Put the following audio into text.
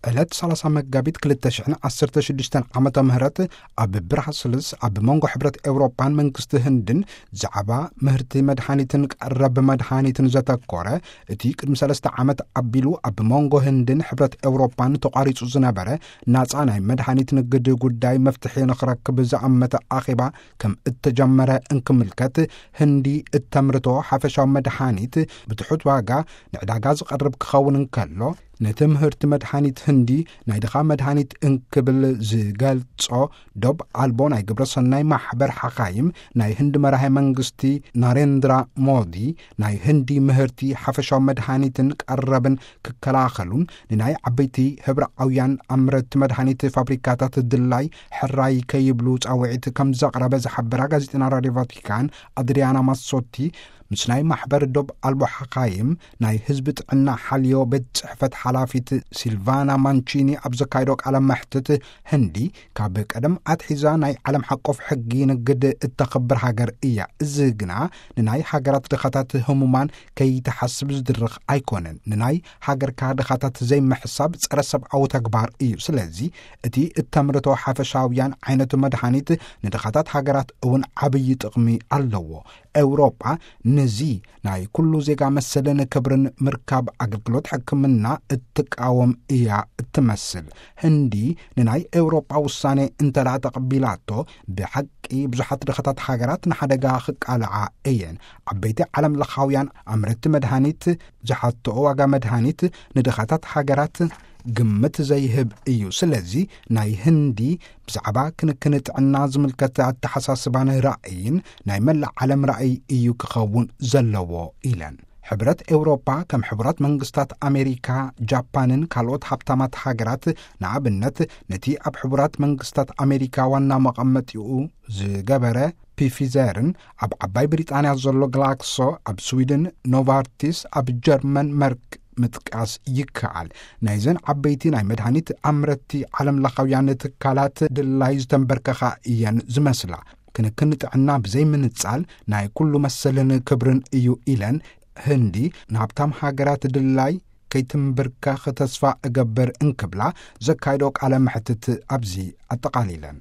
ዕለት ሰላሳ መጋቢት ክልተ ሽሕን ዓሰርተ ሽዱሽተን ዓመተ ምህረት ኣብ ብራስልስ ኣብ መንጎ ሕብረት ኤውሮጳን መንግስቲ ህንድን ዛዕባ ምህርቲ መድሓኒትን ቀረብ መድሓኒትን ዘተኮረ፣ እቲ ቅድሚ ሰለስተ ዓመት ኣቢሉ ኣብ መንጎ ህንድን ሕብረት ኤውሮጳን ተቋሪጹ ዝነበረ ናጻ ናይ መድሓኒት ንግድ ጉዳይ መፍትሒ ንኽረክብ ዝኣመተ ኣኼባ ከም እተጀመረ እንክምልከት፣ ህንዲ እተምርቶ ሓፈሻዊ መድሓኒት ብትሑት ዋጋ ንዕዳጋ ዝቐርብ ክኸውን እንከሎ፣ ነቲ ምህርቲ መድሓኒት ህንዲ ናይ ድኻ መድሃኒት እንክብል ዝገልጾ ዶብ ኣልቦ ናይ ግብረ ሰናይ ማሕበር ሓኻይም፣ ናይ ህንዲ መራሒ መንግስቲ ናሬንድራ ሞዲ፣ ናይ ህንዲ ምህርቲ ሓፈሻዊ መድሃኒትን ቀረብን ክከላኸሉን ንናይ ዓበይቲ ህብረኣውያን ኣምረቲ መድሃኒት ፋብሪካታት ድላይ ሕራይ ከይብሉ ጻውዒት ከም ዘቕረበ ዝሓበራ ጋዜጠና ራድዮ ቫቲካን ኣድሪያና ማሶቲ፣ ምስ ናይ ማሕበር ዶብ ኣልቦ ሓኻይም ናይ ህዝቢ ጥዕና ሓልዮ ቤት ጽሕፈት ሓላፊት ሲልቫና ማንቺኒ ኣብ ዘካየዶ ቃለ መሕትት፣ ህንዲ ካብ ቀደም ኣትሒዛ ናይ ዓለም ሓቆፍ ሕጊ ንግድ እተኽብር ሃገር እያ። እዚ ግና ንናይ ሃገራት ድኻታት ህሙማን ከይትሓስብ ዝድርኽ ኣይኮነን። ንናይ ሃገርካ ድኻታት ዘይምሕሳብ ጸረ ሰብኣዊ ተግባር እዩ። ስለዚ እቲ እተምርቶ ሓፈሻውያን ዓይነት መድሃኒት ንድኻታት ሃገራት እውን ዓብዪ ጥቕሚ ኣለዎ። ኤውሮጳ ነዚ ናይ ኩሉ ዜጋ መሰልን ክብርን ምርካብ ኣገልግሎት ሕክምና እትቃወም እያ እትመስል። ህንዲ ንናይ ኤውሮጳ ውሳኔ እንተ ደኣ ተቐቢላቶ፣ ብሓቂ ብዙሓት ድኻታት ሃገራት ንሓደጋ ክቃልዓ እየን። ዓበይቲ ዓለም ለኻውያን ኣምረቲ መድሃኒት ዝሓትኦ ዋጋ መድሃኒት ንድኻታት ሃገራት ግምት ዘይህብ እዩ። ስለዚ ናይ ህንዲ ብዛዕባ ክንክን ጥዕና ዝምልከት ኣተሓሳስባን ራእይን ናይ መላእ ዓለም ራእይ እዩ ክኸውን ዘለዎ ኢለን። ሕብረት ኤውሮፓ ከም ሕቡራት መንግስታት ኣሜሪካ፣ ጃፓንን ካልኦት ሃብታማት ሃገራት፣ ንኣብነት ነቲ ኣብ ሕቡራት መንግስታት ኣሜሪካ ዋና መቐመጢኡ ዝገበረ ፒፊዘርን ኣብ ዓባይ ብሪጣንያ ዘሎ ግላክሶ፣ ኣብ ስዊድን ኖቫርቲስ፣ ኣብ ጀርመን መርክ ምጥቃስ ይከኣል። ናይዘን ዓበይቲ ናይ መድሃኒት ኣምረቲ ዓለም ለኻውያን ትካላት ድላይ ዝተንበርከኻ እየን ዝመስላ። ክንክን ጥዕና ብዘይ ምንጻል ናይ ኩሉ መሰልን ክብርን እዩ ኢለን፣ ህንዲ ንሃብታም ሃገራት ድላይ ከይትንብርከኽ ተስፋ እገብር እንክብላ ዘካየዶ ቃለ መሕትት ኣብዚ ኣጠቓሊለን።